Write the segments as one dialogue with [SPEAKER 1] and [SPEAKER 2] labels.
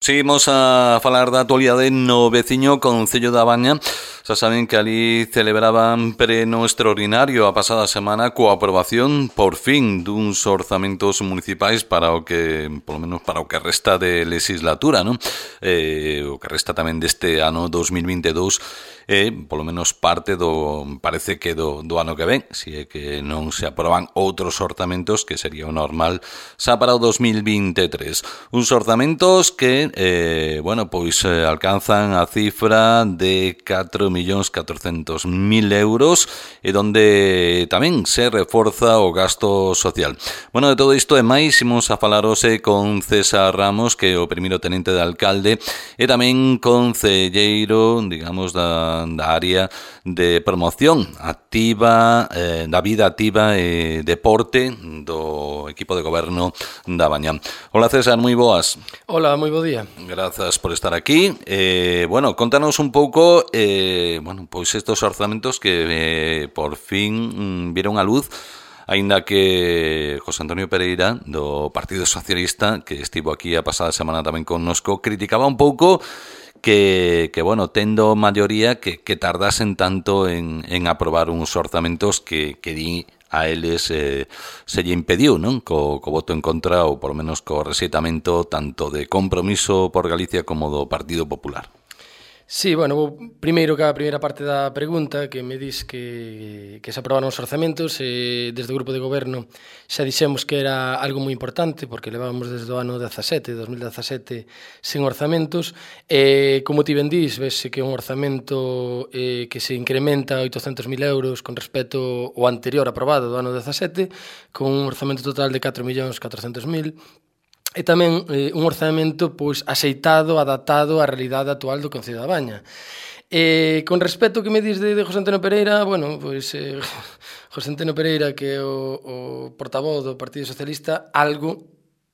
[SPEAKER 1] Seguimos a falar da actualidade no veciño Concello da Baña. Xa saben que ali celebraban pleno extraordinario a pasada semana coa aprobación, por fin, duns orzamentos municipais para o que, polo menos para o que resta de legislatura, non? O que resta tamén deste ano 2022 polo menos parte parece que do ano que ven, se é que non se aproban outros orzamentos, que sería o normal xa para o 2023. Uns orzamentos que alcanzan a cifra de 4.400.000 euros e donde tamén se reforza o gasto social. Bueno, de todo isto e máis imos a falar hoxe con César Ramos, que é o primeiro tenente de alcalde e tamén concelleiro, digamos, da área de promoción activa, da vida activa e deporte do equipo de goberno da Baña. Hola César, moi boas.
[SPEAKER 2] Hola, moi bo día.
[SPEAKER 1] Grazas por estar aquí. Contanos un pouco, estos orzamentos que por fin viron a luz, aínda que José Antonio Pereira, do Partido Socialista, que estivo aquí a pasada semana tamén connosco, criticaba un pouco que tendo maioría, que tardasen tanto en aprobar uns orzamentos que di a eles se lle impediu, non? Co voto en contra ou por lo menos co rexeitamento tanto de Compromiso por Galicia como do Partido Popular.
[SPEAKER 2] Sí, vou primeiro que a primeira parte da pregunta, que me dis que se aprobaron os orzamentos, desde o grupo de goberno xa dixemos que era algo moi importante, porque levábamos desde o ano 2017, sen orzamentos, como ti ben dis, vese que é un orzamento que se incrementa 800.000 euros con respecto ao anterior aprobado do ano 17, con un orzamento total de 4.400.000, e tamén un orzamento axeitado, adaptado á realidade actual do Concello da Baña. Con respecto ao que me dis de José Antonio Pereira, José Antonio Pereira, que é o portavoz do Partido Socialista, algo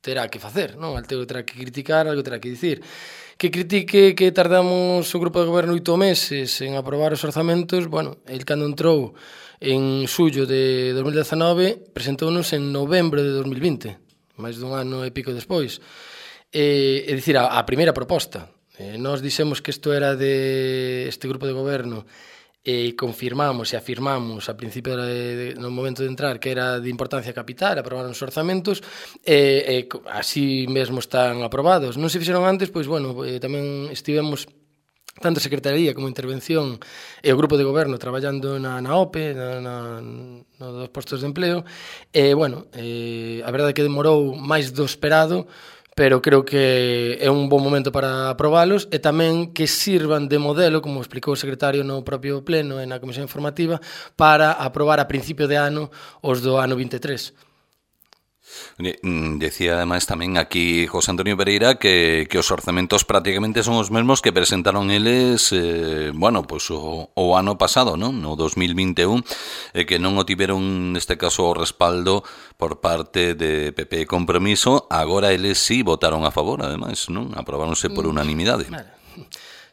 [SPEAKER 2] terá que facer, non? Algo terá que criticar, algo terá que dicir. Que critique que tardamos o grupo de goberno 8 meses en aprobar os orzamentos, el cando entrou en xullo de 2019, presentounos en novembro de 2020. máis dun ano e pico despois. É dicir, a primeira proposta. Nós dixemos que isto era de este grupo de goberno e confirmamos e afirmamos a principio no momento de entrar que era de importancia capital aprobar os orzamentos e así mesmo están aprobados. Non se fixeron antes, tamén estivemos tanto a Secretaría como a Intervención e o grupo de goberno traballando na OPE, nos postos de empleo, a verdade é que demorou máis do esperado, pero creo que é un bon momento para aprobalos e tamén que sirvan de modelo, como explicou o secretario no propio pleno e na comisión informativa, para aprobar a principio de ano os do ano 23.
[SPEAKER 1] Decía ademais tamén aquí José Antonio Pereira que os orzamentos prácticamente son os mesmos que presentaron eles o ano pasado, non? No 2021, que non o tiveron neste caso o respaldo por parte de PP e Compromiso. Agora eles sí votaron a favor, ademais, non? Aprobáronse por unanimidade.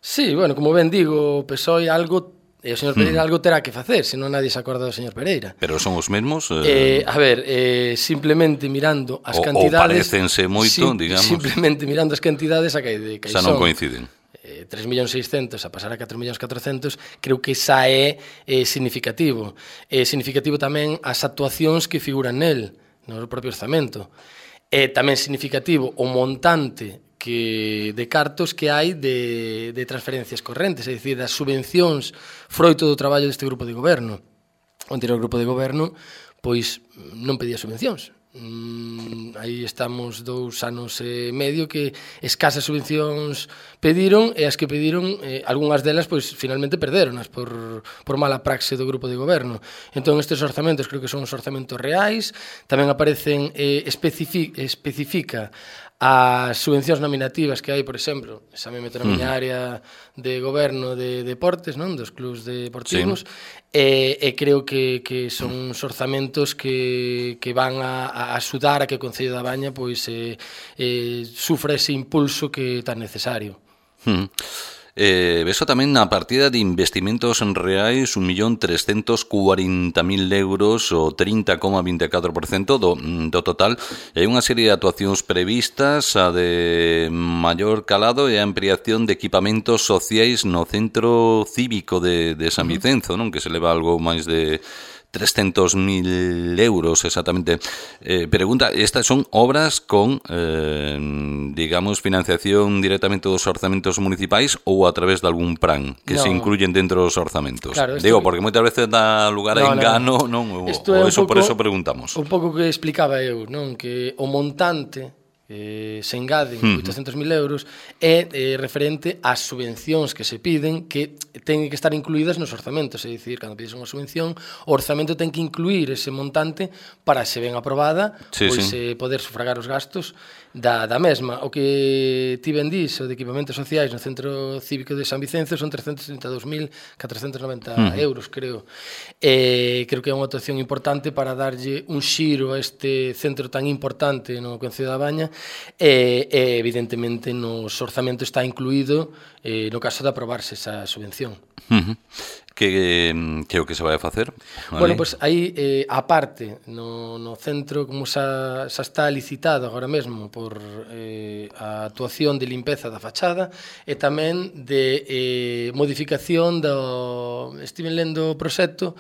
[SPEAKER 2] Sí, como ben digo, o PSOE algo e o señor Pereira algo terá que facer, senón nadie se acorda do señor Pereira.
[SPEAKER 1] Pero son os mesmos?
[SPEAKER 2] Simplemente mirando as cantidades...
[SPEAKER 1] Ou parecense moito, digamos.
[SPEAKER 2] Simplemente mirando as cantidades a que
[SPEAKER 1] xa non coinciden.
[SPEAKER 2] 3.600.000 a pasar a 4.400.000, creo que xa é significativo. É significativo tamén as actuacións que figuran nel, no propio orzamento. É tamén significativo o montante de cartos que hai de transferencias correntes, é dicir, das subvencións froito do traballo deste grupo de goberno. O anterior grupo de goberno non pedía subvencións. Aí estamos 2 anos e medio que escasas subvencións pediron e as que pediron, algunhas delas finalmente perderonas por mala praxe do grupo de goberno. Entón estes orzamentos creo que son os orzamentos reais, tamén aparecen, especifica as subvencións nominativas que hai, por exemplo, xa me meto na miña área de goberno de deportes, non, dos clubs deportivos, e creo que son os orzamentos que van a axudar a que o Concello da Baña sufra ese impulso que é tan necesario.
[SPEAKER 1] Beso tamén na partida de investimentos reais 1.340.000 euros, o 30,24% do total. E hai unha serie de actuacións previstas, a de maior calado e a ampliación de equipamentos sociais no centro cívico de San Vicenzo, non? Que se leva algo máis de 300.000 euros exactamente. Pregunta, estas son obras con, digamos, financiación directamente dos orzamentos municipais ou a través de algún plan que se incluyen dentro dos orzamentos? Claro, digo, porque moitas veces dá lugar a engano, non? Ou eso, por eso preguntamos.
[SPEAKER 2] Un pouco que explicaba eu, non? Que o montante se engaden 800.000 euros é referente ás subvencións que se piden, que teñen que estar incluídas nos orzamentos, é dicir, cando pides unha subvención, o orzamento ten que incluir ese montante para, se ben aprobada, poder sufragar os gastos da mesma. O que ti ben dís, o de equipamentos sociais no Centro Cívico de San Vicenzo son 332.490 euros, creo. Creo que é unha actuación importante para darlle un xiro a este centro tan importante no Concello da Baña, e evidentemente nos orzamentos está incluído no caso de aprobarse esa subvención.
[SPEAKER 1] Que é o que se vai a facer?
[SPEAKER 2] Bueno, pois aí, a parte, no centro, como xa está licitado agora mesmo por a actuación de limpeza da fachada e tamén de modificación do... Estiven lendo o proxecto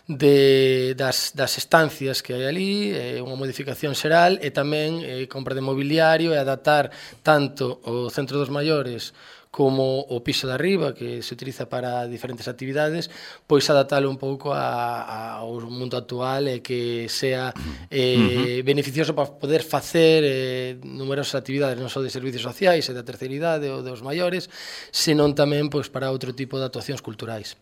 [SPEAKER 2] das estancias que hai ali, unha modificación xeral, e tamén compra de mobiliario e adaptar tanto o centro dos maiores como o piso de arriba, que se utiliza para diferentes actividades, pois adaptalo un pouco ao mundo actual e que sea beneficioso para poder facer numerosas actividades, non só de servicios sociais e da terceira idade ou dos maiores, senón tamén pois para outro tipo de actuacións culturais.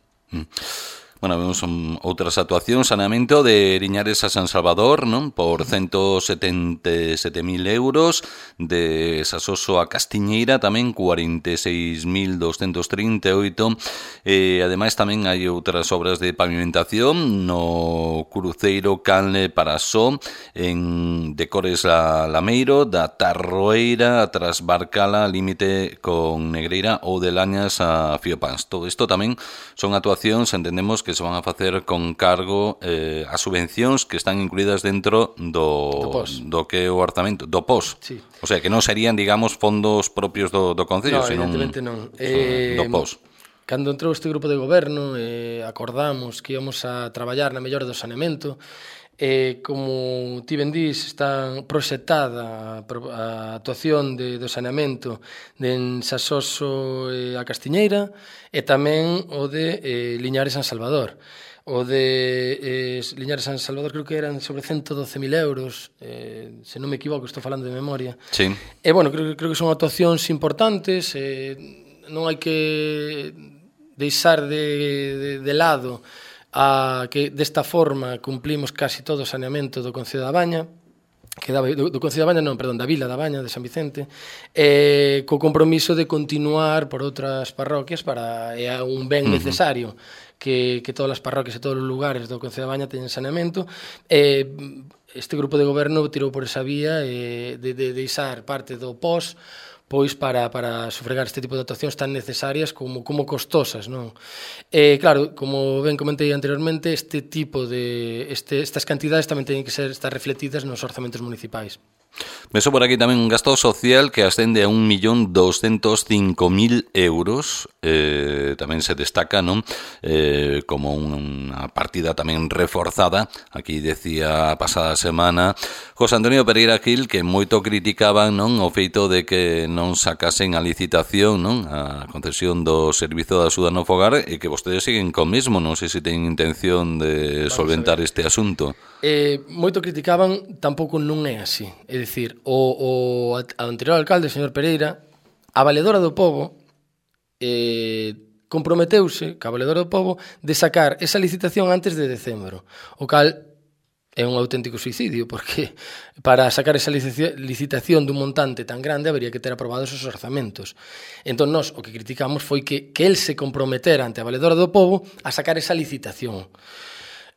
[SPEAKER 1] Bueno, vemos outras actuacións, saneamento de Liñares a San Salvador, non? Por 177.000 euros, de Sasoso a Castiñeira tamén 46.238, e ademais tamén hai outras obras de pavimentación no cruceiro Canle Parasó, en Decores a Lameiro, da Tarroeira a Trasbarcala, límite con Negreira, ou de Lañas a Fiopans. Todo isto tamén son actuacións, entendemos, que se van a facer con cargo a subvencións que están incluídas dentro do que é o orzamento, do POS. Sí. O sea, que non serían, digamos, fondos propios do Concello, senón
[SPEAKER 2] evidentemente non.
[SPEAKER 1] Do POS.
[SPEAKER 2] Cando entrou este grupo de goberno, acordamos que íamos a traballar na mellora do saneamento. Como ti ben dís, está proxectada a actuación do saneamento de Sasoso a Castiñeira e tamén o de Liñares San Salvador. O de Liñares San Salvador creo que eran sobre 112.000 euros, se non me equivoco, estou falando de memoria.
[SPEAKER 1] Sí.
[SPEAKER 2] E bueno, creo que son actuacións importantes, non hai que deixar de lado a que desta forma cumplimos casi todo o saneamento do Concello da Baña, que do Concello da Baña, non, perdón, da Vila da Baña de San Vicente, co compromiso de continuar por outras parroquias para é un ben necesario que todas as parroquias e todos os lugares do Concello da Baña teñen saneamento. Este grupo de goberno tirou por esa vía de deixar parte do POS pois para sufragar este tipo de actuacións tan necesarias como costosas, non? Claro, como ben comentei anteriormente, este tipo de estas cantidades tamén teñen que estar refletidas nos orzamentos municipais.
[SPEAKER 1] Meso por aquí tamén un gasto social que ascende a 1.205.000 euros. Tamén se destaca, non? Como unha partida tamén reforzada. Aquí decía a pasada semana José Antonio Pereira Gil que moito criticaban, non, o feito de que non sacasen a licitación, non, a concesión do servizo de axuda no fogar, e que vostedes siguen co mesmo. Non sei se teñen intención de solventar este asunto.
[SPEAKER 2] Moito criticaban, tampouco non é así. É dicir, o anterior alcalde, o señor Pereira, a Valedora do Pobo comprometeuse ca Valedora do Pobo de sacar esa licitación antes de decembro, o cal é un auténtico suicidio, porque para sacar esa licitación dun montante tan grande habería que ter aprobados os orzamentos. Entón, nós o que criticamos foi que el se comprometera ante a Valedora do Pobo a sacar esa licitación.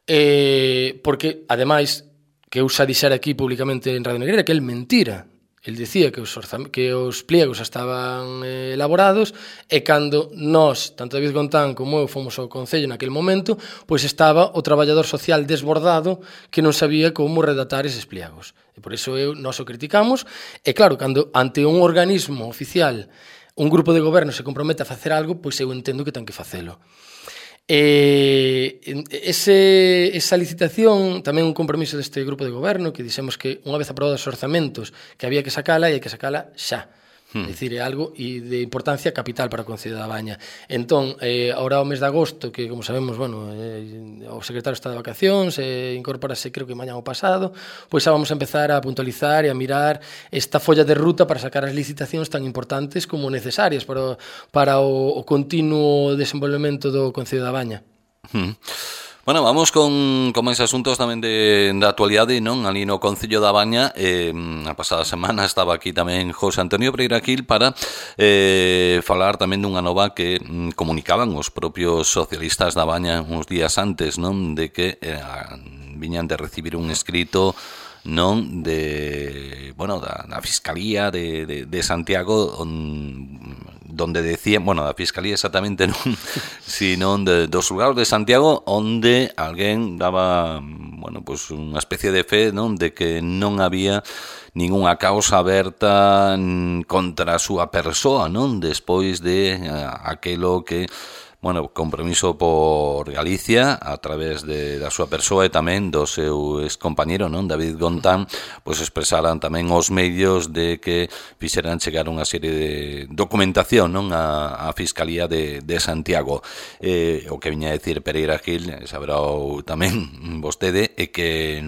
[SPEAKER 2] Porque, ademais, que eu xa dixera aquí públicamente en Radio Negreira, que el mentira. el dicía que os pliegos estaban elaborados e cando nós, tanto David Gontán como eu, fomos ao Concello naquele momento, pois estaba o traballador social desbordado que non sabía como redactar eses pliegos. E por iso nós o criticamos. E claro, cando ante un organismo oficial un grupo de goberno se compromete a facer algo, pois eu entendo que ten que facelo. Esa licitación tamén un compromiso deste grupo de goberno que dixemos que unha vez aprobados os orzamentos que había que sacala e hai que sacala xa. É dicir, é algo de importancia capital para o Concello da Baña. Entón, ahora o mes de agosto, que como sabemos, bueno, o secretario está de vacacións, incorpórase creo que mañá o pasado, pois xa vamos a empezar a puntualizar e a mirar esta folla de ruta para sacar as licitacións tan importantes como necesarias para o continuo desenvolvemento do Concello da Baña.
[SPEAKER 1] Bueno, vamos con máis asuntos tamén da actualidade, non? Ali no Concello da Baña, a pasada semana estaba aquí tamén José Antonio Pereira Gil para falar tamén dunha nova que comunicaban os propios socialistas da Baña uns días antes, non? De que viñan de recibir un escrito, non, da Fiscalía de Santiago, donde decían, da Fiscalía exactamente non, sino dos xulgados de Santiago, onde alguén daba, unha especie de fe, non, de que non había ningunha causa aberta contra a súa persoa, non, despois de aquelo que Compromiso por Galicia a través da súa persoa e tamén do seu excompañeiro, non, David Gontán, pois expresaran tamén os medios de que fixeran chegar unha serie de documentación, non, a Fiscalía de Santiago. O que viña a decir Pereira Gil, saberá tamén vostede, é que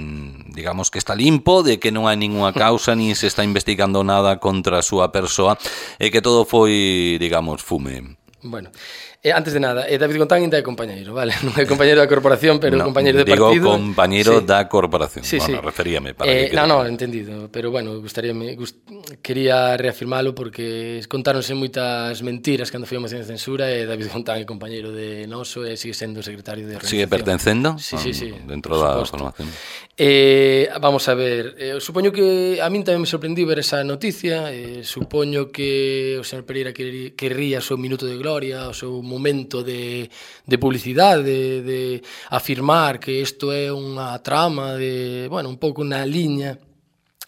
[SPEAKER 1] digamos que está limpo, de que non hai ningunha causa nin se está investigando nada contra a súa persoa e que todo foi, digamos, fume.
[SPEAKER 2] Bueno, antes de nada, David Gontán ainda é compañeiro, vale? Non é compañeiro da corporación, pero compañeiro de partido.
[SPEAKER 1] Digo compañeiro da corporación.
[SPEAKER 2] Sí, sí.
[SPEAKER 1] Referíame para que
[SPEAKER 2] entendido, pero quería reafirmalo porque contáronse moitas mentiras cando foi a moción de censura e David Gontán é compañeiro de noso e sigue sendo secretario de organización.
[SPEAKER 1] Sigue pertencendo?
[SPEAKER 2] Sí.
[SPEAKER 1] Dentro da formación.
[SPEAKER 2] Vamos a ver, supoño que a min tamén me sorprendiu ver esa noticia, supoño que o señor Pereira querría o seu minuto de gloria, o seu momento de publicidade, de afirmar que isto é unha trama un pouco na liña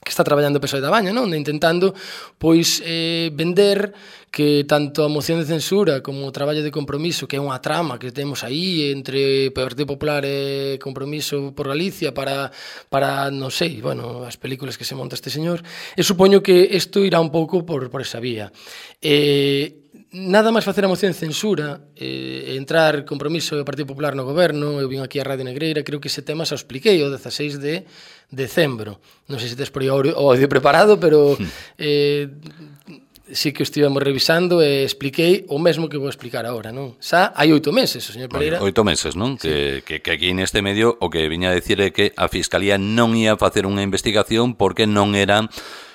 [SPEAKER 2] que está traballando o PSOE da Baña, non? Intentando, pois, vender que tanto a moción de censura como o traballo de compromiso, que é unha trama que temos aí entre Partido Popular e Compromiso por Galicia para non sei, as películas que se monta este señor, e supoño que isto irá un pouco por esa vía. Nada máis facer a moción de censura, entrar Compromiso do Partido Popular no goberno, eu vim aquí a Radio Negreira, creo que ese tema xa o expliquei o 16 de decembro. Non sei se tes por aí o audio preparado, pero sí que o estivemos revisando e expliquei o mesmo que vou explicar agora, non? Xa hai 8 meses, o señor Pereira.
[SPEAKER 1] 8 meses, non? Sí. Que aquí neste medio o que viña a decir é que a Fiscalía non ia facer unha investigación porque non era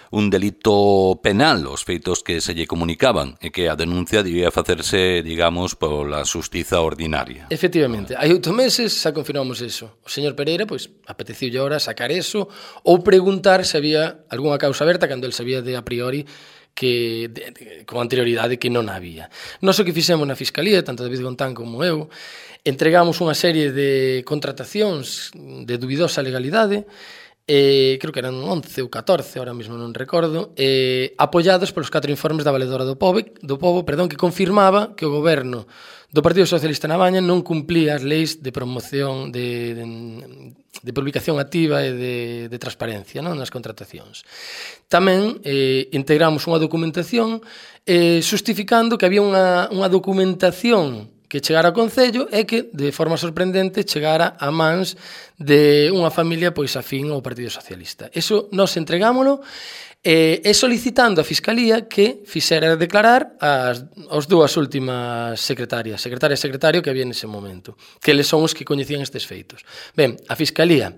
[SPEAKER 1] un delito penal os feitos que se lle comunicaban e que a denuncia debía facerse, digamos, pola xustiza ordinaria.
[SPEAKER 2] Efectivamente, hai 8 meses xa confirmamos eso. O señor Pereira, pois, apeteciulle ahora sacar eso ou preguntar se había algunha causa aberta cando el sabía de a priori que con anterioridade que non había. Nós o que fixemos na Fiscalía, tanto David Gontán como eu, entregamos unha serie de contratacións de dubidosa legalidade, creo que eran 11 ou 14, ahora mesmo non recordo, apoiados polos 4 informes da Valedora do Pobo, que confirmaba que o goberno do Partido Socialista na Baña non cumplía as leis de promoción de publicación activa e de transparencia, non, nas contratacións. Tamén integramos unha documentación justificando que había unha documentación que chegara ao Concello e que, de forma sorprendente, chegara a mans de unha familia pois afín ao Partido Socialista. Eso nós entregámolo e solicitando a Fiscalía que fixera declarar as dúas últimas secretaria e secretario que había nese momento, que eles son os que coñecían estes feitos. Ben, a Fiscalía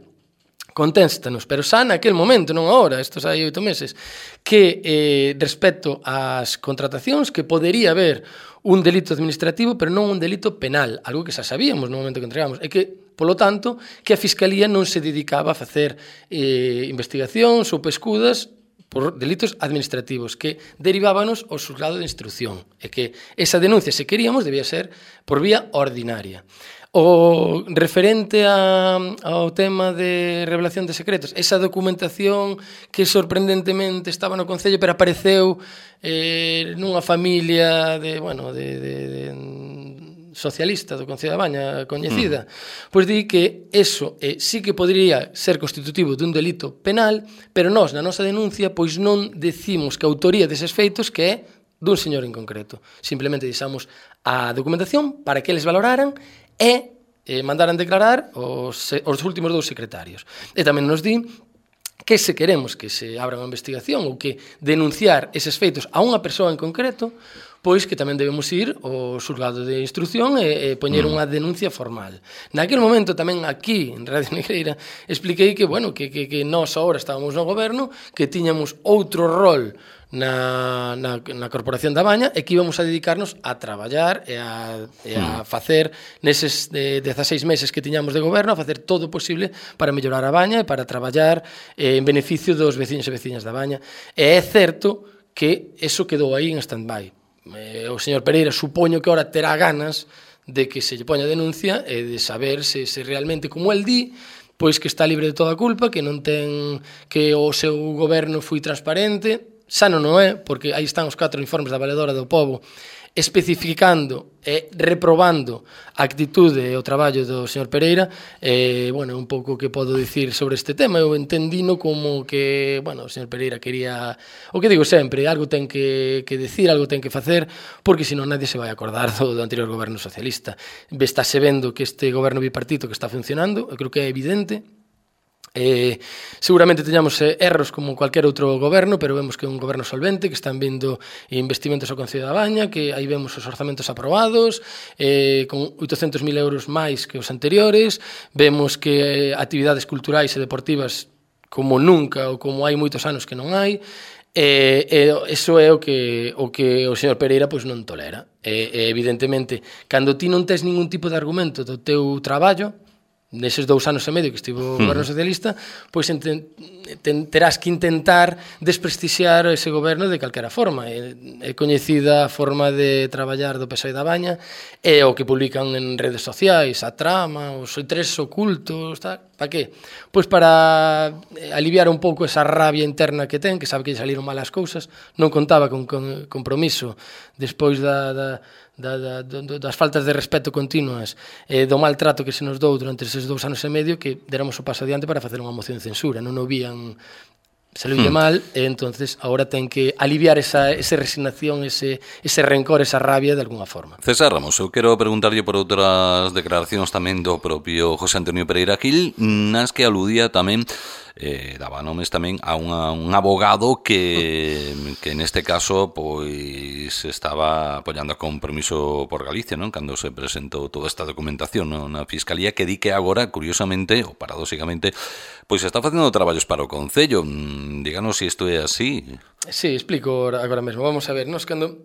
[SPEAKER 2] contéstanos, pero xa naquel momento, non agora, estos hai 8 meses, que respecto ás contratacións que podería haber un delito administrativo, pero non un delito penal, algo que xa sabíamos no momento que entregamos, e que, polo tanto, que a Fiscalía non se dedicaba a facer investigacións ou pescudas por delitos administrativos que derivábanos ao xulgado de instrucción e que esa denuncia, se queríamos, debía ser por vía ordinaria. O referente ao tema de revelación de secretos, esa documentación que sorprendentemente estaba no Concello pero apareceu nunha familia de socialista do Concello da Baña coñecida, pois di que eso sí que podría ser constitutivo dun delito penal, pero nós na nosa denuncia pois non decimos que a autoría deses feitos que é dun señor en concreto. Simplemente deixamos a documentación para que eles valoraran e mandaran declarar os últimos 2 secretarios. E tamén nos di que se queremos que se abra unha investigación ou que denunciar eses feitos a unha persoa en concreto, pois que tamén debemos ir ao xulgado de instrucción e poñer unha denuncia formal. Naquele momento tamén aquí, en Radio Negreira, expliquei que, que nós agora estábamos no goberno, que tiñamos outro rol na Corporación da Baña e que íbamos a dedicarnos a traballar e a facer neses 16 meses que tiñamos de goberno, a facer todo o posible para mellorar a Baña e para traballar en beneficio dos veciños e veciñas da Baña. E é certo que eso quedou aí en stand-by. O señor Pereira supoño que ahora terá ganas de que se lle poña denuncia e de saber se realmente, como el di, pois que está libre de toda culpa, que non ten, que o seu goberno foi transparente. Xa non é, porque aí están os 4 informes da Valedora do Pobo especificando e reprobando a actitude e o traballo do señor Pereira. Un pouco que podo dicir sobre este tema. Eu entendino como que, o señor Pereira quería, o que digo sempre, algo ten que decir, algo ten que facer, porque senón nadie se vai acordar do anterior goberno socialista. Estáse vendo que este goberno bipartito que está funcionando, eu creo que é evidente. Seguramente teñamos erros como cualquier outro goberno, pero vemos que é un goberno solvente, que están vindo investimentos ao Concello da Baña, que aí vemos os orzamentos aprobados con 800.000 euros máis que os anteriores. Vemos que actividades culturais e deportivas como nunca ou como hai moitos anos que non hai. Eso é o que o señor Pereira pois non tolera. Evidentemente, cando ti non tes ningún tipo de argumento do teu traballo, neses 2 anos e medio que estivo o goberno socialista, pois terás que intentar desprestixiar ese goberno de calquera forma. É coñecida a forma de traballar do PSOE da Baña, é o que publican en redes sociais, a trama, os intereses ocultos, para que? Pois para aliviar un pouco esa rabia interna que ten, que sabe que lle saliron mal as cousas, non contaba con compromiso despois das faltas de respeto continuas e do maltrato que se nos dou durante eses 2 anos e medio, que deramos o paso adiante para facer unha moción de censura. Non o vían, salulle mal, e entonces agora ten que aliviar esa resignación, ese rencor, esa rabia de alguna forma.
[SPEAKER 1] César Ramos, eu quero preguntarlle por outras declaracións tamén do propio José Antonio Pereira Gil, nas que aludía tamén daba nomes tamén a un abogado que neste caso pois estaba apoiando a Compromiso por Galicia, non? Cando se presentou toda esta documentación na Fiscalía, que di que agora, curiosamente ou paradóxicamente, pois está facendo traballos para o Concello. Díganos se isto é así.
[SPEAKER 2] Sí, explico agora mesmo. Vamos a ver, nós cando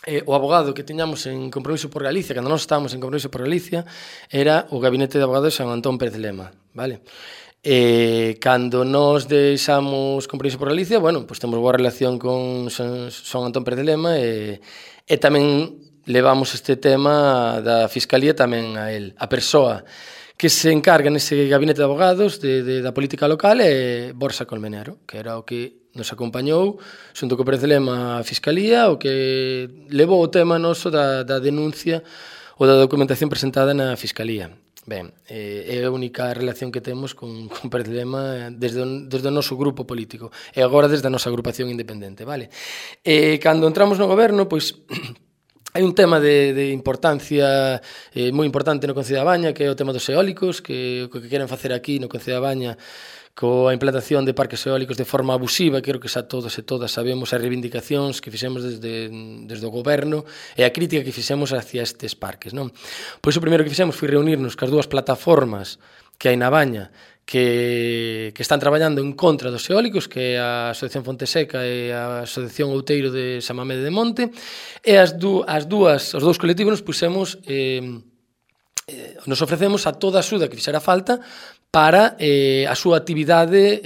[SPEAKER 2] o abogado que tiñamos en Compromiso por Galicia, cando nós estábamos en Compromiso por Galicia, era o gabinete de abogados de San Antón Pérez Lema, vale? Cando nos deixamos Compromiso por Galicia, pois temos boa relación con San Antón Pérez Lema e tamén levamos este tema da Fiscalía tamén a él. A persoa que se encarga nese gabinete de abogados da política local é Borja Colmenero, que era o que nos acompañou xunto co Pérez Lema a Fiscalía, o que levou o tema noso da denuncia ou da documentación presentada na Fiscalía. Ben, é a única relación que temos con Pérez Lema desde o noso grupo político e agora desde a nosa agrupación independente, vale? Cando entramos no goberno, pois hai un tema de importancia moi importante no Concello da Baña, que é o tema dos eólicos, que o que queren facer aquí no Concello da Baña coa implantación de parques eólicos de forma abusiva. Creo que xa todos e todas sabemos as reivindicacións que fixemos desde o goberno e a crítica que fixemos hacia estes parques, non? Pois o primeiro que fixemos foi reunirnos cas 2 plataformas que hai na Baña que están traballando en contra dos eólicos, que é a Asociación Fonteseca e a Asociación Outeiro de Samamede de Monte, e os dous colectivos nos pusemos nos ofrecemos a toda a axuda que fixera falta para a súa actividade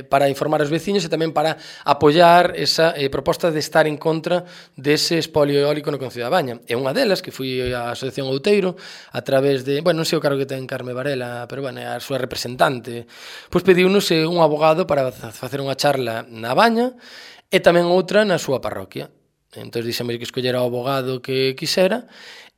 [SPEAKER 2] para informar aos veciños e tamén para apoiar esa proposta de estar en contra dese espolio eólico no Concello da Baña. E unha delas, que foi a Asociación Outeiro, a través de, non sei o cargo que ten Carme Varela, pero a súa representante, pois pediunos un abogado para facer unha charla na Baña e tamén outra na súa parroquia. Entón dixemos que escollera o abogado que quixera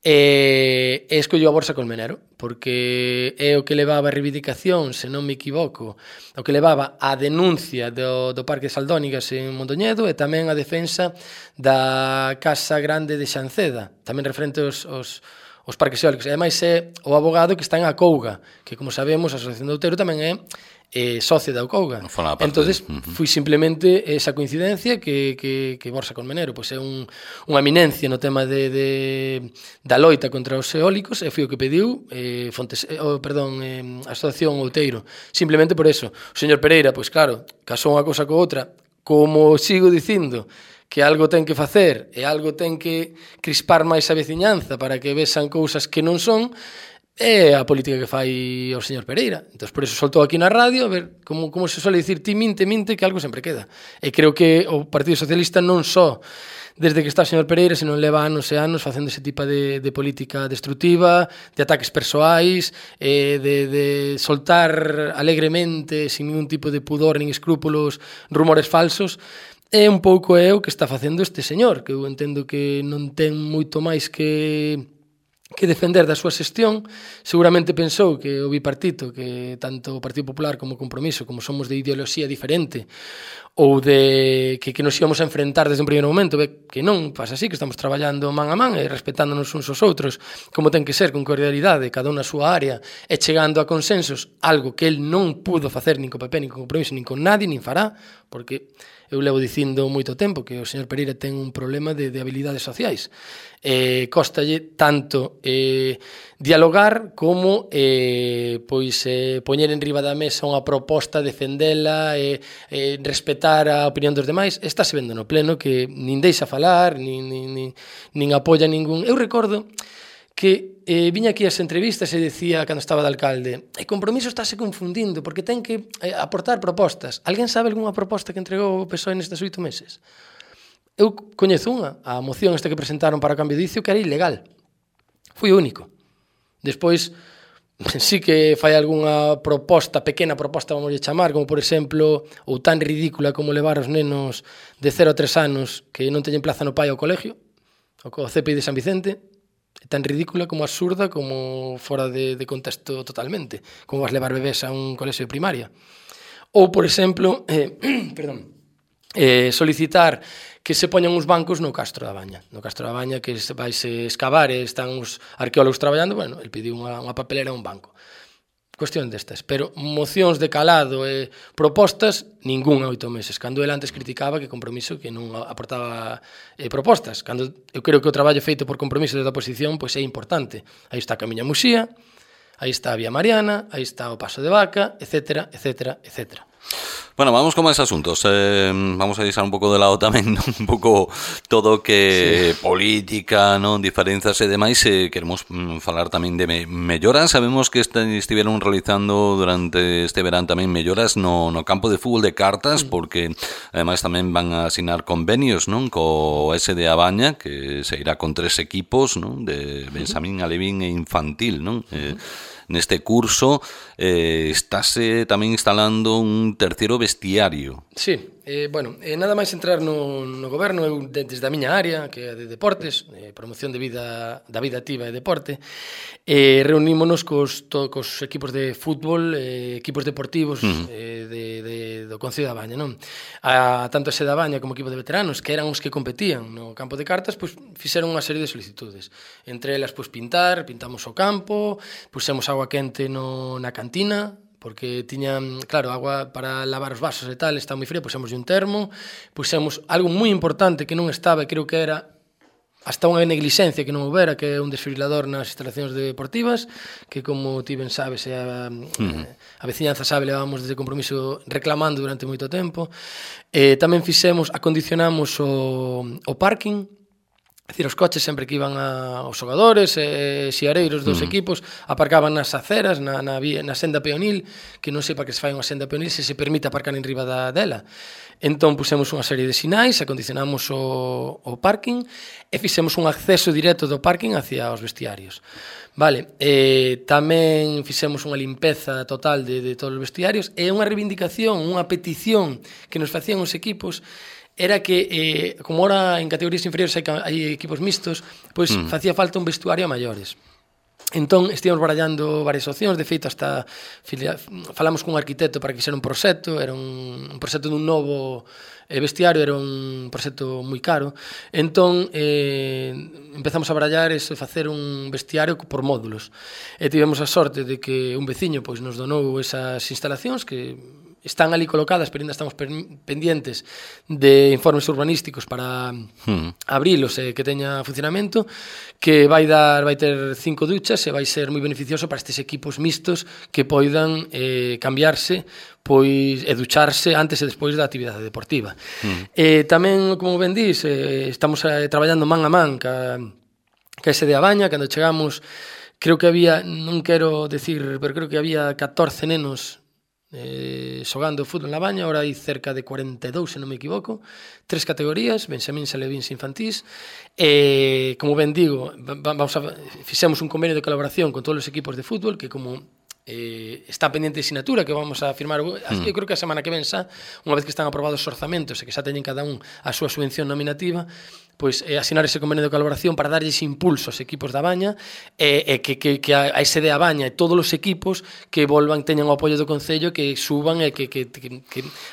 [SPEAKER 2] e escolleu a Borsa Colmenero, porque é o que levaba a reivindicación, se non me equivoco, o que levaba a denuncia do Parque de Saldónigas en Mondoñedo e tamén a defensa da Casa Grande de Xanceda, tamén referente aos parques eólicos. E ademais é o abogado que está en Acouga, que como sabemos a Asociación de Outeiro tamén é socio da Acouga. Entonces foi simplemente esa coincidencia que Borsa Colmenero pois é unha eminencia no tema da loita contra os eólicos e foi o que pediu a Asociación Outeiro. Simplemente por eso. O señor Pereira, pois claro, casou unha cousa co outra, como sigo dicindo, que algo ten que facer e algo ten que crispar máis a veciñanza para que vexan cousas que non son, é a política que fai o señor Pereira. Entón, por eso soltou aquí na radio, a ver, como se suele dicir, ti minte, que algo sempre queda. E creo que o Partido Socialista non só desde que está o señor Pereira, senón leva anos e anos facendo ese tipo de política destructiva, de ataques persoais, de soltar alegremente, sin ningún tipo de pudor nin escrúpulos, rumores falsos. É un pouco o que está facendo este señor, que eu entendo que non ten moito máis que defender da súa xestión. Seguramente pensou que o bipartito, que tanto o Partido Popular como o Compromiso, como somos de ideoloxía diferente, ou de que nos íbamos a enfrentar desde un primeiro momento, que non pasa así, que estamos traballando man a man e respetándonos uns aos outros, como ten que ser, con cordialidade, cada unha a súa área, e chegando a consensos, algo que el non pudo facer nin co PP, nin con Compromiso, nin con nadie, nin fará, porque eu levo dicindo moito tempo que o señor Pereira ten un problema de habilidades sociais. Costalle tanto dialogar como poñer en riba da mesa unha proposta, defendela, respetar a opinión dos demais. Estáse vendo no pleno que nin deixa falar, nin apoia ningún. Eu recordo que viña aquí as entrevistas e decía, cando estaba de alcalde, o Compromiso estáse confundindo porque ten que aportar propostas. Alguén sabe algunha proposta que entregou o PSOE nestes 8 meses? Eu coñezo unha, a moción esta que presentaron para o cambio de dicio, que era ilegal. Foi o único. Despois, sí que fai algunha proposta, pequena proposta, vamos a chamar, como por exemplo, ou tan ridícula como levar os nenos de 0 a 3 anos que non teñen plaza no pai ao colegio, ao CPI de San Vicente, tan ridícula como absurda, como fora de contexto totalmente, como vas levar bebés a un colexio de primaria. Ou, por exemplo, solicitar que se poñan uns bancos no Castro da Baña. No Castro da Baña, que vai se escavar e están os arqueólogos traballando, el pediu unha papelera e un banco. Cuestión destas, pero mocións de calado e propostas, ningún 8 meses, cando ele antes criticaba que Compromiso que non aportaba propostas, cando eu creo que o traballo feito por Compromiso desde a oposición pois é importante. Aí está a Camiña Muxía, aí está a Vía Mariana, aí está o Paso de Vaca, etcétera, etcétera, etcétera.
[SPEAKER 1] Bueno, vamos con máis asuntos. Vamos a deixar un pouco de lado tamén un pouco todo que política, non, diferenzas e demais. Queremos falar tamén de melloras. Sabemos que estiveron realizando durante este verán tamén melloras no campo de fútbol de cartas, porque ademais tamén van a asinar convenios, non, co SD A Baña, que se irá con 3 equipos, non, de Benxamín, Alevín e Infantil, non? Neste curso estáse tamén instalando un terceiro vestiario.
[SPEAKER 2] Sí, nada máis entrar no goberno, eu desde a miña área, que é de deportes, promoción da vida activa e deporte, reunímonos cos equipos de fútbol, equipos deportivos do Concello da Baña, non? Tanto ese da Baña como equipo de veteranos, que eran os que competían no campo de cartas, pois fixeron unha serie de solicitudes. Entre elas, pois pintamos o campo, pusemos agua quente na cantina, porque tiñan, claro, agua para lavar os vasos e tal, está moi fría, pusemos un termo, pusemos algo moi importante que non estaba, creo que era hasta unha neglixencia que non houbera, que é un desfibrilador nas instalacións deportivas, que como ti ben sabes, a veciñanza sabe, levábamos desde Compromiso reclamando durante moito tempo. Tamén acondicionamos o parking, É dicir, os coches sempre que iban os xogadores e xiareiros dos equipos aparcaban nas aceras, na senda peonil, que non sei para que se fai unha senda peonil se permite aparcar en riba dela. Entón pusemos unha serie de sinais, acondicionamos o parking e fixemos un acceso directo do parking hacia os vestiarios. Vale, tamén fixemos unha limpeza total de todos os vestiarios e unha reivindicación, unha petición que nos facían os equipos era que, como ahora en categorías inferiores hai equipos mixtos, pois facía falta un vestuario a maiores. Entón, estivemos barallando varias opcións, de feito, hasta falamos cun arquitecto para que fixera un proxecto, era un proxecto dun novo vestiario, era un proxecto moi caro. Entón, empezamos a barallar e facer un vestiario por módulos. E tivemos a sorte de que un veciño pois nos donou esas instalacións que están ali colocadas, pero ainda estamos pendientes de informes urbanísticos para abrilos e que teña funcionamento, que vai ter 5 duchas e vai ser moi beneficioso para estes equipos mixtos que poidan cambiarse pois e ducharse antes e despois da actividade deportiva. Tamén, como ben dís, estamos traballando man a man ca ese de Abaña. Cando chegamos, creo que había, non quero decir, pero creo que había 14 nenos xogando fútbol na Baña. Ahora hai cerca de 42, se non me equivoco, 3 categorías, benxamíns, alevins e infantís. Como ben digo, fixemos un convenio de colaboración con todos os equipos de fútbol que como está pendiente de sinatura que vamos a firmar, eu creo que a semana que ven xa, unha vez que están aprobados os orzamentos e que xa teñen cada un a súa subvención nominativa, pois asinar ese convenio de colaboración para darlles impulso aos equipos da Baña e que a ese de a Baña e todos os equipos que volvan, teñan o apoio do Concello, que suban e que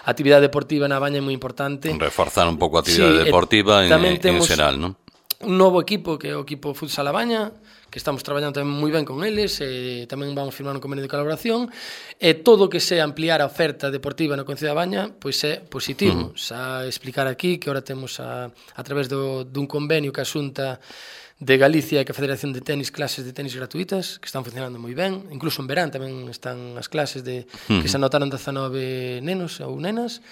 [SPEAKER 2] a actividade deportiva na Baña é moi importante.
[SPEAKER 1] Reforzar un pouco a actividade deportiva en xeral, non?
[SPEAKER 2] Un novo equipo que é o equipo Futsal a Baña, que estamos traballando tamén moi ben con eles, tamén vamos firmar un convenio de colaboración, e todo o que sea ampliar a oferta deportiva no Concello da Baña, pois é positivo. Xa explicar aquí que ahora temos a través dun convenio que a Xunta de Galicia e que a Federación de Tenis, clases de tenis gratuitas, que están funcionando moi ben, incluso en verán tamén están as clases que se anotaron 19 nenos ou nenas.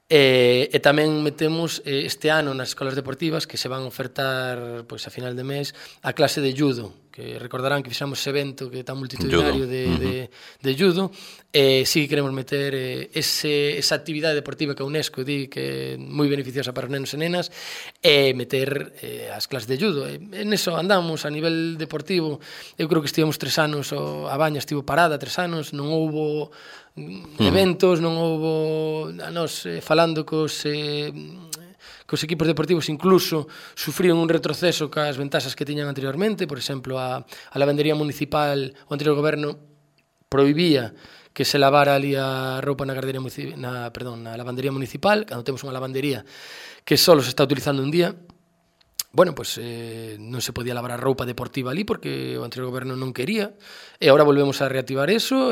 [SPEAKER 2] E tamén metemos este ano nas escolas deportivas que se van ofertar pois a final de mes a clase de judo, que recordarán que fixamos ese evento que é tan multitudinario de judo, e si queremos meter esa actividade deportiva que a UNESCO di que é moi beneficiosa para os nenos e nenas, e meter as clases de judo. En eso andamos a nivel deportivo. Eu creo que estivemos 3 anos, a Baña estivo parada 3 anos, non houbo eventos, non houbo falando cos equipos deportivos, incluso sufrían un retroceso cas ventaxas que tiñan anteriormente. Por exemplo, a lavandería municipal, o anterior goberno prohibía que se lavara ali a roupa na lavandería municipal, cando temos unha lavandería que só se está utilizando un día. Bueno, pois non se podía lavar a roupa deportiva ali porque o anterior goberno non quería, e agora volvemos a reactivar eso,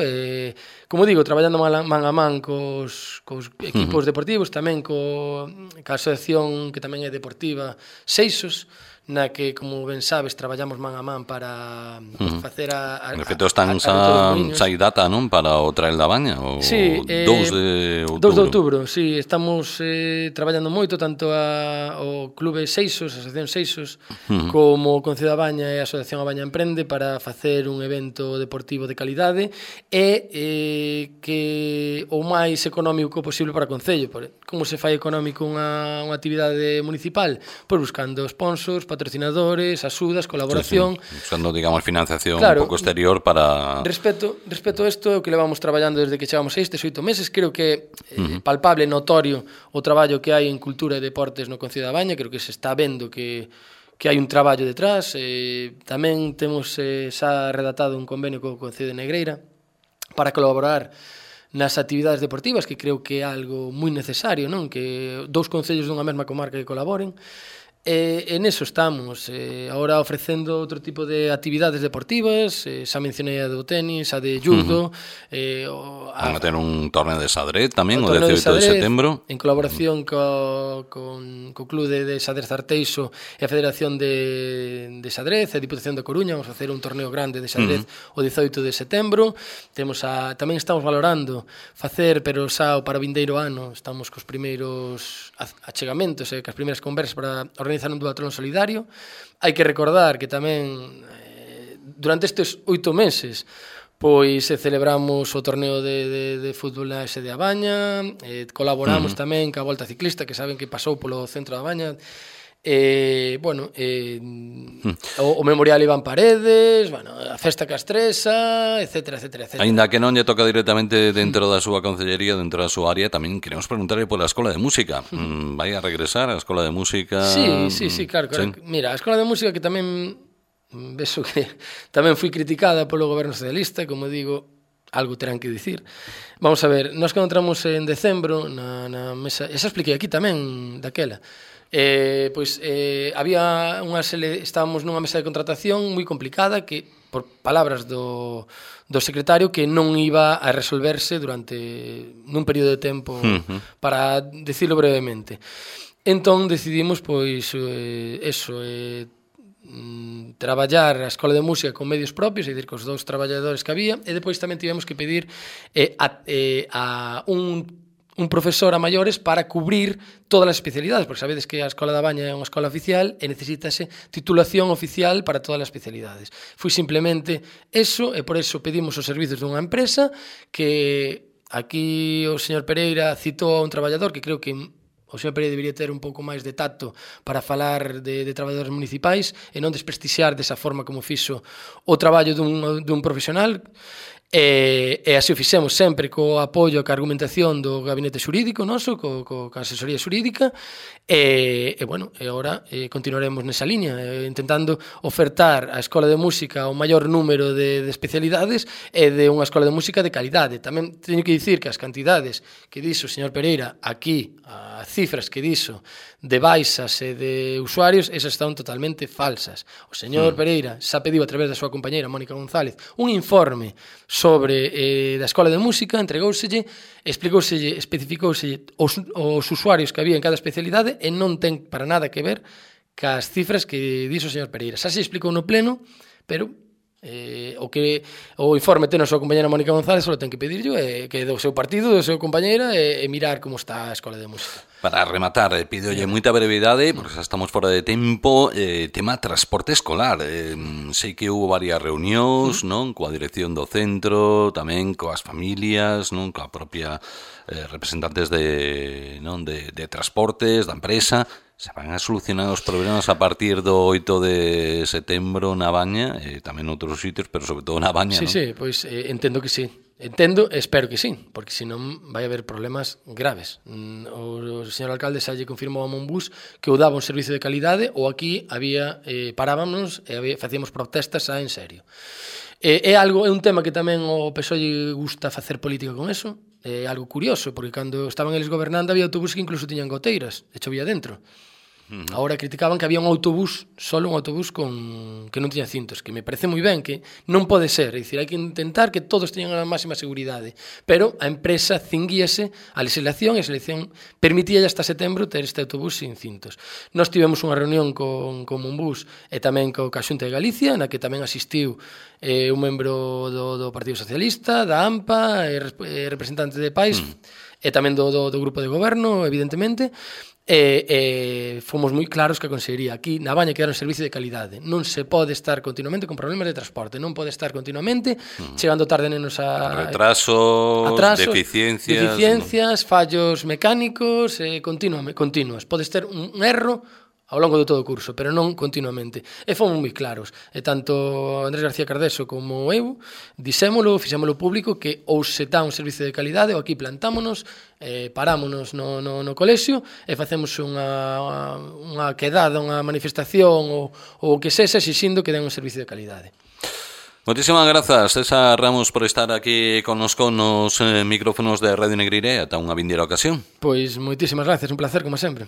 [SPEAKER 2] como digo, traballando man a man cos equipos deportivos, tamén ca asociación que tamén é deportiva Seixos, na que, como ben sabes, traballamos man a man para facer
[SPEAKER 1] En efecto, están xa hai data, non? Para o Trail da Baña, o 2 de outubro.
[SPEAKER 2] 2 de outubro, sí, estamos traballando moito, tanto o Clube Seixos, a Asociación Seixos, como o Concello da Baña e a Asociación A Baña Emprende para facer un evento deportivo de calidade e que o máis económico posible para o Concello. Como se fai económico unha actividade municipal? Pois buscando sponsors, patrocinadores, axudas, colaboración.
[SPEAKER 1] Usando, digamos, financiación un pouco exterior para...
[SPEAKER 2] Respecto a isto, é o que levamos traballando desde que chegamos a estes 8 meses. Creo que é palpable, notorio o traballo que hai en cultura e deportes no Concello da Baña. Creo que se está vendo que hai un traballo detrás. Tamén temos xa redactado un convenio co Concello de Negreira para colaborar nas actividades deportivas, que creo que é algo moi necesario, non? Que 2 concellos dunha mesma comarca que colaboren. En eso estamos, agora ofrecendo outro tipo de actividades deportivas, xa mencionei a do tenis, a de judo.
[SPEAKER 1] Van a ter un torneo de xadrez tamén, o 18 de setembro.
[SPEAKER 2] En colaboración co Club de Xadrez Arteixo e a Federación de Xadrez e a Diputación da Coruña. Vamos a facer un torneo grande de xadrez o 18 de setembro. Tamén estamos valorando facer, pero xa para o vindeiro ano, estamos cos primeiros achegamentos e cas primeiras conversas para organizar organizar un duatlón solidario. Hai que recordar que tamén durante estes 8 meses pois celebramos o torneo de fútbol na S de A Baña, colaboramos tamén ca Volta Ciclista, que saben que pasou polo centro da Baña, o Memorial Iván Paredes, a Festa Castresa, etcétera.
[SPEAKER 1] Ainda que non lle toca directamente dentro da súa concellería, dentro da súa área, tamén queremos preguntarle pola Escola de Música. Vai a regresar a Escola de Música?
[SPEAKER 2] Sí, claro. Mira, a Escola de Música que tamén vexo que tamén fui criticada polo goberno socialista, como digo, algo terán que dicir. Vamos a ver, nós que entramos en decembro na mesa, esa expliquei aquí tamén daquela, estábamos nunha mesa de contratación moi complicada que, por palabras do secretario, que non iba a resolverse nun período de tempo, para decirlo brevemente. Entón decidimos traballar a Escola de Música con medios propios, é dicir, cos 2 traballadores que había, e depois tamén tivemos que pedir a un profesor a maiores para cubrir todas as especialidades, porque sabedes que a Escola da Baña é unha escola oficial e necesítase titulación oficial para todas as especialidades. Foi simplemente eso, e por eso pedimos os servizos dunha empresa que aquí o señor Pereira citou a un traballador que creo que o señor Pereira debería ter un pouco máis de tacto para falar de traballadores municipais e non desprestixiar desa forma como fixo o traballo dun profesional. E así o fixemos sempre co apoio, ca argumentación do gabinete xurídico noso, co asesoría xurídica, e agora continuaremos nesa liña, intentando ofertar a Escola de Música o maior número de especialidades e de unha Escola de Música de calidade. Tamén teño que dicir que as cantidades que dixo o señor Pereira aquí, as cifras que dixo de baixas e de usuarios, esas están totalmente falsas. O señor Pereira xa pediu a través da súa compañeira Mónica González un informe sobre da Escola de Música, entregóuselle, explicouselle, especificouselle os usuarios que había en cada especialidade e non ten para nada que ver cas cifras que dixo o señor Pereira. Xa se explicou no pleno, pero o informe ten a súa compañera Mónica González, só ten que pedirlo, que do seu partido, do seu compañeira, e mirar como está a Escola de Música.
[SPEAKER 1] Para rematar, pidolle moita brevidade, porque xa estamos fora de tempo, tema transporte escolar. Sei que houve varias reunións, non, coa dirección do centro, tamén coas familias, non, coa propia representantes de transportes, da empresa. Se van a solucionar os problemas a partir do 8 de setembro na Baña, e tamén noutros sitios, pero sobre todo na Baña, non?
[SPEAKER 2] Sí, pois entendo que sí. Entendo e espero que sí, porque senón vai haber problemas graves. O señor alcalde xa lle confirmou a Monbús que o daba un servicio de calidade, ou aquí parábamos e facíamos protestas en serio. É un tema que tamén o PSOE lle gusta facer política con eso. É algo curioso, porque cando estaban eles gobernando había autobús que incluso tiñan goteiras e chovía dentro. Agora criticaban que había un autobús, solo un autobús que non tiña cintos, que me parece moi ben, que non pode ser, é dicir, hai que intentar que todos teñan a máxima seguridade, pero a empresa cinguíase a legislación, e a legislación permitía hasta setembro ter este autobús sin cintos. Nós tivemos unha reunión con Monbús e tamén co Xunta de Galicia, na que tamén asistiu un membro do Partido Socialista, da AMPA, representante de PAIS, e tamén do grupo de goberno, evidentemente, e fomos moi claros que a Consellería aquí na Baña que era un servicio de calidade, non se pode estar continuamente con problemas de transporte, non pode estar continuamente chegando tarde nenos a
[SPEAKER 1] retrasos, deficiencias,
[SPEAKER 2] fallos mecánicos, continuos. Podes ter un erro ao longo de todo o curso, pero non continuamente. E fomos moi claros. E tanto Andrés García Cardeso como eu fixémolo público, que ou se dá un servicio de calidade ou aquí plantámonos, parámonos no colexio e facemos unha quedada, unha manifestación ou que sexa exixindo que den un servicio de calidade.
[SPEAKER 1] Moitísimas grazas, César Ramos, por estar aquí connosco nos micrófonos de Radio Negreira. Ata unha vindeira ocasión.
[SPEAKER 2] Pois moitísimas grazas, un placer como sempre.